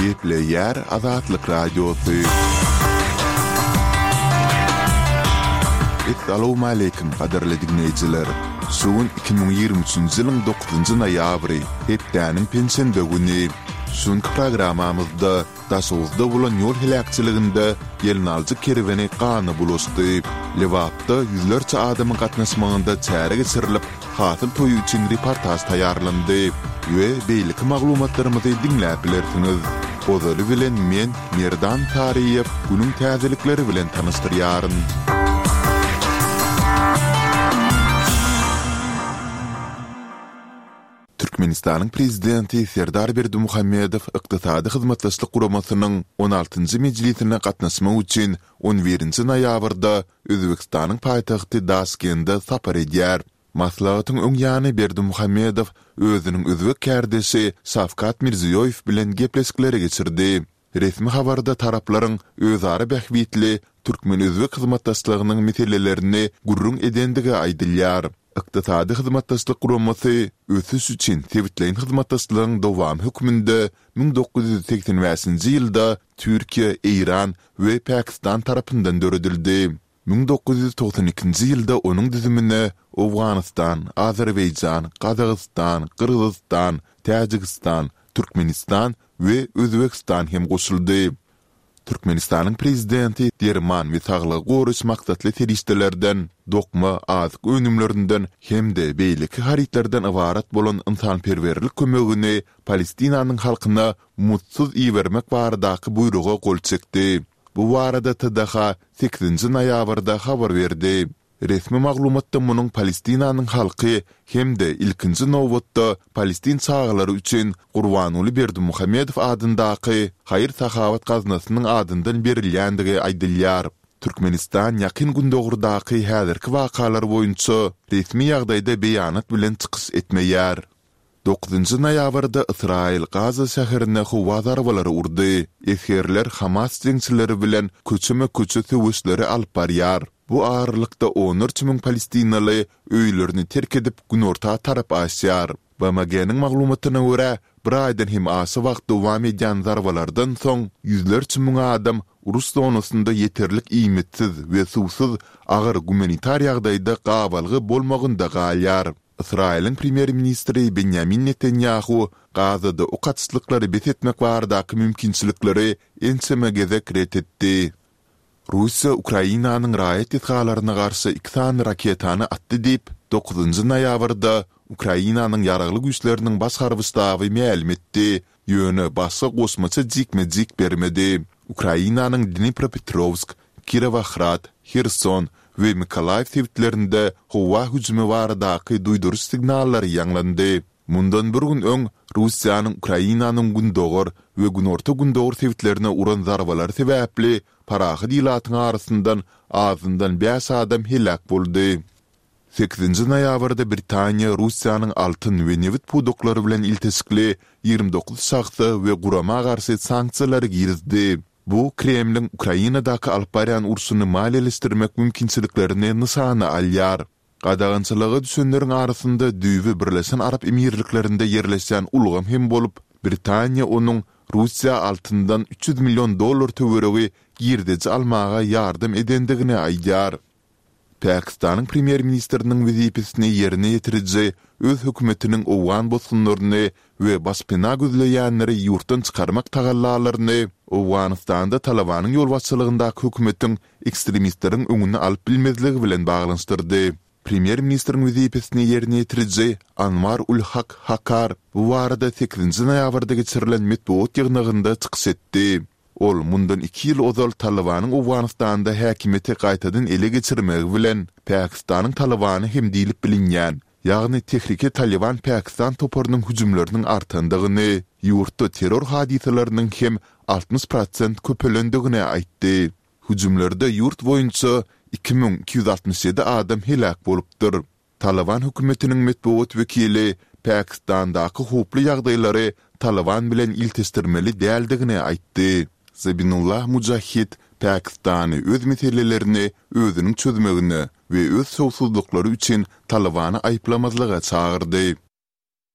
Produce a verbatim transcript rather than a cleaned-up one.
Gepleýär Azatlyk Radiosy. Essalawmaleýkim gadyrly diňleýjiler! Şu gün iki müň ýigrimi üçünji ýylyň dokuzynjy noýabry, hepdäniň penşenbe güni. Şu günki programmamyzda Daşoguzda bolan ýol heläkçiliginde gelnaljy kerweni gana bulaşdy. Lebapda ýüzlerçe adamyň gatnaşmagynda çäre geçirilip, hasyl toýy üçin reportaž taýýarlandy we beýleki maglumatlarymyzy diňläp bilersiňiz. Ozaly bilen men, Merdan Taryýew, günüň täzelikleri bilen tanyşdyrýaryn. Türkmenistanyň Prezidenti Serdar Berdimuhamedow Ykdysady Hyzmatdaşlyk Guramasynyň on altynjy mejlisine gatnaşmak üçin on birinji noýabrda Özbegistanyň paýtagty Daşkende sapar edýär. Maslahatyň öň ýany Berdimuhamedow özüniň özbek kärdeşi Şawkat Mirziýoýew bilen gepleşikleri geçirdi. Resmi habarda taraplaryň özara bähbitli türkmen-özbek hyzmatdaşlygynyň meselelerini gürrüň edendigi aýdylýar. Ykdysady Hyzmatdaşlyk Guramasy ösüş üçin sebitleýin hyzmatdaşlygyň dowamy hökmünde müň dokuz ýüz segsen bäşinji ýylda Türkiýe, Eýran we Pakistan tarapyndan döredildi. Müň dokuz ýüz togsan ikinji ýylda onuň düzümine Owganystan, Azerbaýjan, Gazagystan, Gyrgyzystan, Täjigistan, Türkmenistan we Özbegistan hem goşuldy. Türkmenistanyň Prezidenti derman we saglygy goraýyş maksatly serişdelerden, dokma, azyk önümlerinden hem-de beýleki harytlardan ybarat bolan ynsanperwerlik kömegini Palestinanyň halkyna muzdsuz ibermek baradaky buýruga gol çekdi. Bu barada T D H sekizinji noýabrda habar berdi. Resmi maglumatda munuň Palestinanyň halky hem-de ilkinji nobatda palestin çagalary üçin Gurbanguly Berdimuhamedow adyndaky haýyr-sahawat gaznasynyň adyndan berilýändigi aýdylýar. Türkmenistan Ýakyn Gündogardaky häzirki wakalar boýunça resmi ýagdaýda beýanat bilen çykyş etmeýär. Dokuzynjy noýabrda Ysraýyl Gaza şäherine howa zarbalary urdy. Esgerler Hamas jeňçileri bilen köçeme-köçe söweşleri alyp barýar. Bu aralykda onlarça müň palestinaly öýlerini terk edip günorta tarap aşýar. B M G-niň maglumatyna görä, bir aýdan hem aşa wagt dowam edýän zarbalardan soň ýüzlerçe müň adam uruş zonasynda ýeterlik iýmitsiz we suwsuz agyr gumanitar ýagdaýda gabalgy bolmagynda galýar. Ysraýylyň premýer-ministri Benýamin Netanýahu Gazada ok atyşlyklary bes etmek baradaky mümkinçilikleri ençeme gezek ret etdi. Russiýa Ukrainanyň raýat desgalaryna garşy iki sany raketany atdy diýip, dokuzynjy noýabrda Ukrainanyň Ýaragly Güýçleriniň Baş harby ştaby mälim etdi, ýöne başga goşmaça jikme-jik bermedi. Ukrainanyň Dnipropetrowsk, Kirowohrad, Herson we Mykolaýiw sebitlerinde howa hüjümi baradaky duýduryş signallary ýaňlandy. Mundan bir gün öň Russiýanyň Ukrainanyň gündogar we günorta-gündogar sebitlerine uran zarbalary sebäpli parahat ilatyň arasyndan azyndan bäş adam heläk boldy. Sekizinji noýabrda Britaniýa Russiýanyň altyn we nebit pudaklary bilen ilteşikli ýigrimi dokuz şahsa we gurama garşy sanksiýalary girizdi. Bu Kremliň Ukrainadaky alyp barýan urşuny maliýeleşdirmek mümkinçiliklerini nyşana alýar. Gadagançylyga düşenleriň arasynda düýbi Birleşen Arap Emirliklerinde ýerleşýän ulgam hem bolup, Britaniýa onuň Russiýa altyndan üç ýüz million dollar töweregi girdeji almaga ýardam edendigini aýdýar. Pakistanyň premýer-ministriniň wezipesini ýerine ýetiriji öz hökümetiniň owgan bosgunlaryny we başpena gözleýänleri ýurtdan çykarmak tagallalaryny Owganystanda Talybanyň ýolbaşçylygyndaky hökümetiň ekstremistleriň öňüni alyp bilmezligi bilen baglanyşdyrdy. Premýer-ministriň wezipesini ýerine ýetiriji Anwar ul Hak Kakar bu barada sekizinji noýabrda geçirilen metbugat ýygnagynda çykyş etdi. Ol mundan iki ýyl ozal Talybanyň Owganystanda häkimiýeti gaýtadan ele geçirmegi bilen, Pakistanyň Talybany hem diýlip bilinýän, ýagny Tehrike Talyban Pakistan toparynyň hüjümleriniň artandygyny, ýurtda terror hadysalarynyň hem altmyş prosent köpelendigini aýtdy. Hüjümlerde ýurt boýunça iki müň iki ýüz altmyş ýedi adam heläk bolupdyr. Talyban hökümetiniň metbugat wekili Pakistandaky howply ýagdaýlary Talyban bilen ilteşdirmeli däldigini aýtdy. Zabinullah Mujahid Pakistany öz meselelerini özüniň çözmegine we öz şowsuzlyklary üçin Talybany aýyplamazlyga çagyrdy.